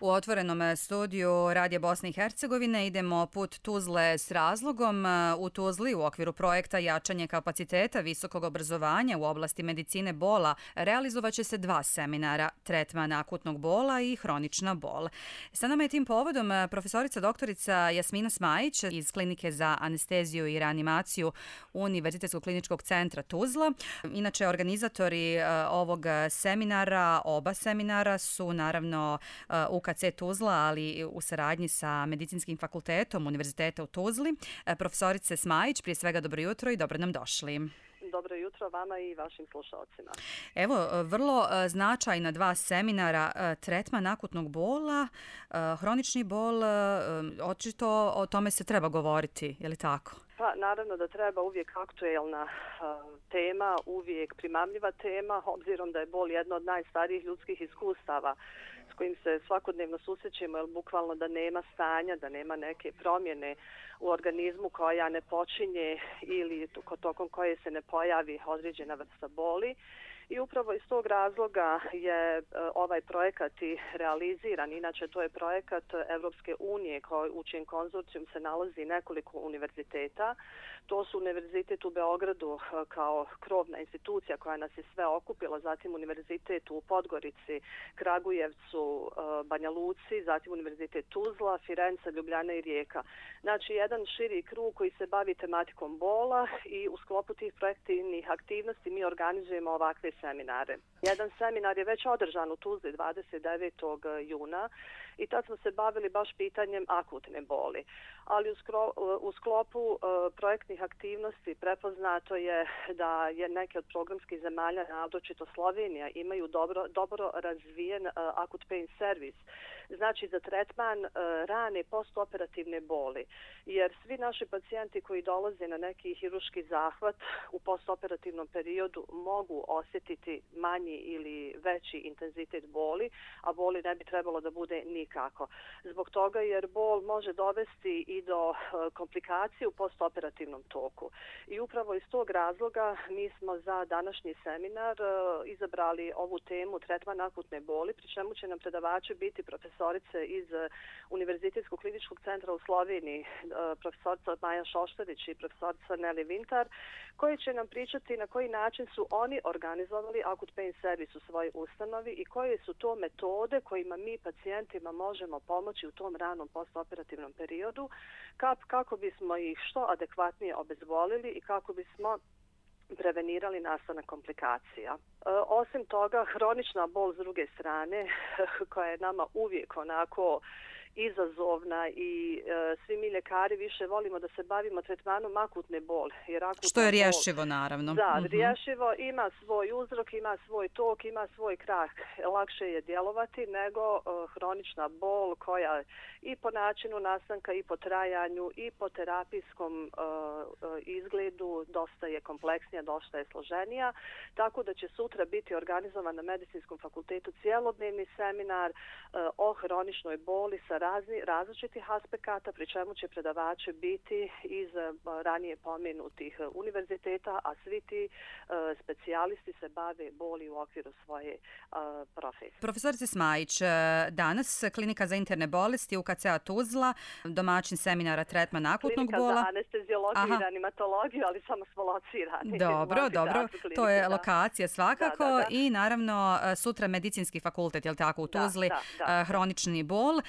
U otvorenom studiju Radija Bosne i Hercegovine idemo put Tuzle s razlogom. U Tuzli u okviru projekta Jačanje kapaciteta visokog obrazovanja u oblasti medicine bola realizovaće se 2 seminara, tretman akutnog bola i hronična bol. Sa nama je tim povodom profesorica doktorica Jasmina Smajić iz Klinike za anesteziju i reanimaciju Univerzitetskog kliničkog centra Tuzla. Inače, organizatori ovog seminara, oba seminara su naravno UKC Tuzla, ali u saradnji sa Medicinskim fakultetom Univerziteta u Tuzli. Profesorice Smajić, prije svega dobro jutro i dobro nam došli. Dobro jutro vama i vašim slušalcima. Evo, vrlo značajna 2 seminara, tretman akutnog bola, hronični bol, očito o tome se treba govoriti, je li tako? Pa naravno da treba, uvijek aktuelna tema, uvijek primamljiva tema, obzirom da je bol jedna od najstarijih ljudskih iskustava s kojim se svakodnevno susrećemo, jer bukvalno da nema stanja, da nema neke promjene u organizmu koja ne počinje ili tokom koje se ne pojavi određena vrsta boli. I upravo iz tog razloga je ovaj projekat i realiziran. Inače, to je projekat Evropske unije u čijem konzorcijum se nalazi nekoliko univerziteta. To su Univerzitet u Beogradu kao krovna institucija koja nas je sve okupila, zatim Univerzitet u Podgorici, Kragujevcu, Banja Luci, zatim Univerzitet Tuzla, Firenca, Ljubljana i Rijeka. Znači, jedan širi krug koji se bavi tematikom bola i u sklopu tih projektivnih aktivnosti mi organizujemo ovakve seminare. Jedan seminar je već održan u Tuzli 29. juna i tad smo se bavili baš pitanjem akutne boli. Ali u sklopu projektnih aktivnosti prepoznato je da je neke od programskih zemalja, naročito Slovenija, imaju dobro razvijen acute pain service. Znači za tretman rane postoperativne boli. Jer svi naši pacijenti koji dolaze na neki hirurški zahvat u postoperativnom periodu mogu osjetiti manji ili veći intenzitet boli, a boli ne bi trebalo da bude nikako. Zbog toga jer bol može dovesti i do komplikacije u postoperativnom toku. I upravo iz tog razloga mi smo za današnji seminar izabrali ovu temu tretman akutne boli, pri čemu će nam predavači biti profesorice iz Univerzitetskog kliničkog centra u Sloveniji, profesorica Maja Šoštarić i profesorica Neli Vintar, koji će nam pričati na koji način su oni organizovali acute pain service u svojoj ustanovi i koje su to metode kojima mi pacijentima možemo pomoći u tom ranom postoperativnom periodu, kako bismo ih što adekvatnije obezbolili i kako bismo prevenirali nastanak komplikacija. Osim toga, hronična bol s druge strane, koja je nama uvijek onako izazovna i svi mi ljekari više volimo da se bavimo tretmanom akutne boli. Što je rješivo, naravno. Da, rješivo, ima svoj uzrok, ima svoj tok, ima svoj krah. Lakše je djelovati nego hronična bol koja i po načinu nastanka i po trajanju i po terapijskom izgledu dosta je kompleksnija, dosta je složenija. Tako da će sutra biti organizovan na Medicinskom fakultetu cijelodnevni seminar o hroničnoj boli sa različitih aspekata, pri čemu će predavači biti iz ranije pomenutih univerziteta, a svi ti specijalisti se bave boli u okviru svoje profesije. Profesorice Smajić, danas Klinika za interne bolesti UKC-a Tuzla, domaćin seminara tretman akutnog bola. Klinika za anesteziologiju i reanimatologiju, ali samo smo locirani. Dobro, to je lokacija svakako i naravno sutra Medicinski fakultet, je li tako, u Tuzli, hronični bol.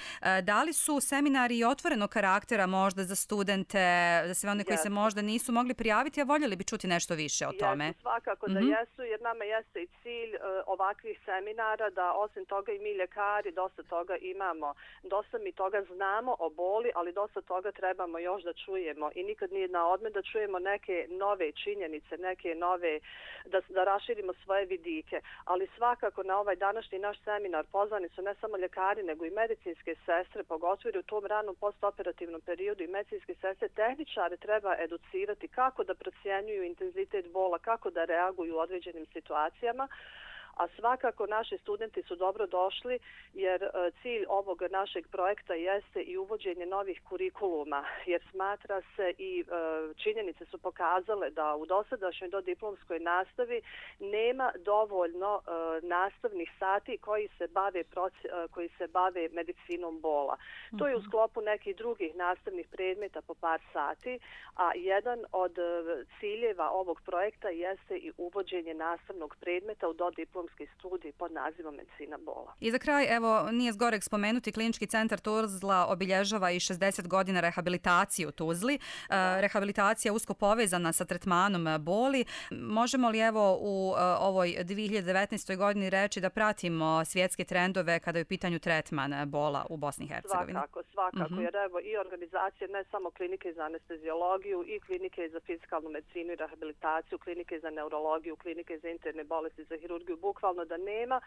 Da li su seminari otvorenog karaktera možda za studente, za sve one koji se možda nisu mogli prijaviti, a voljeli bi čuti nešto više o tome? Jesu, svakako da jesu, jer nama jeste i cilj ovakvih seminara da osim toga i mi ljekari dosta toga imamo, dosta mi toga znamo o boli, ali dosta toga trebamo još da čujemo i nikad nije na odmet da čujemo neke nove činjenice, neke nove, da raširimo svoje vidike, ali svakako na ovaj današnji naš seminar pozvani su ne samo ljekari, nego i medicinske sestre, pogotovo u tom ranom postoperativnom periodu i medicinske sestre, tehničare treba educirati kako da procjenjuju intenzitet bola, kako da reaguju u određenim situacijama, a svakako naši studenti su dobro došli jer cilj ovog našeg projekta jeste i uvođenje novih kurikuluma, jer smatra se i činjenice su pokazale da u dosadašnjoj dodiplomskoj nastavi nema dovoljno nastavnih sati koji se bave medicinom bola. To je u sklopu nekih drugih nastavnih predmeta po par sati, a jedan od ciljeva ovog projekta jeste i uvođenje nastavnog predmeta u dodiplomski studij pod nazivom medicina bola. I za kraj, evo, nije zgoreg spomenuti, Klinički centar Tuzla obilježava i 60 godina rehabilitacije u Tuzli. Rehabilitacija je usko povezana sa tretmanom boli. Možemo li evo u ovoj 2019. godini reći da pratimo svjetske trendove kada je u pitanju tretman bola u Bosni i Hercegovini? Svakako, jer evo i organizacije ne samo klinike za anesteziologiju i klinike za fizikalnu medicinu i rehabilitaciju, klinike za neurologiju, klinike za interne bolesti, za hirurgiju, bukvalno da nema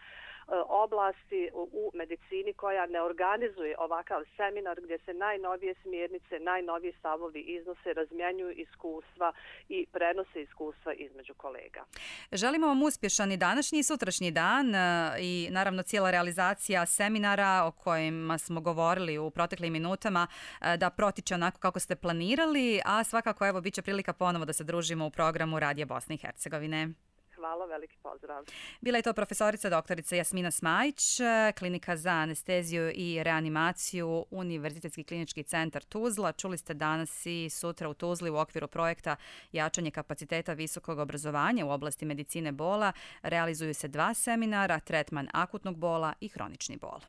oblasti u medicini koja ne organizuje ovakav seminar gdje se najnovije smjernice, najnoviji stavovi iznose, razmjenjuju iskustva i prenose iskustva između kolega. Želimo vam uspješan i današnji i sutrašnji dan i naravno cijela realizacija seminara o kojima smo govorili u proteklim minutama da protiče onako kako ste planirali, a svakako evo bit će prilika ponovo da se družimo u programu Radija Bosne i Hercegovine. Hvala, veliki pozdrav. Bila je to profesorica doktorica Jasmina Smajić, Klinika za anesteziju i reanimaciju, Univerzitetski klinički centar Tuzla. Čuli ste danas i sutra u Tuzli u okviru projekta Jačanje kapaciteta visokog obrazovanja u oblasti medicine bola. Realizuju se 2 seminara, tretman akutnog bola i hronični bol.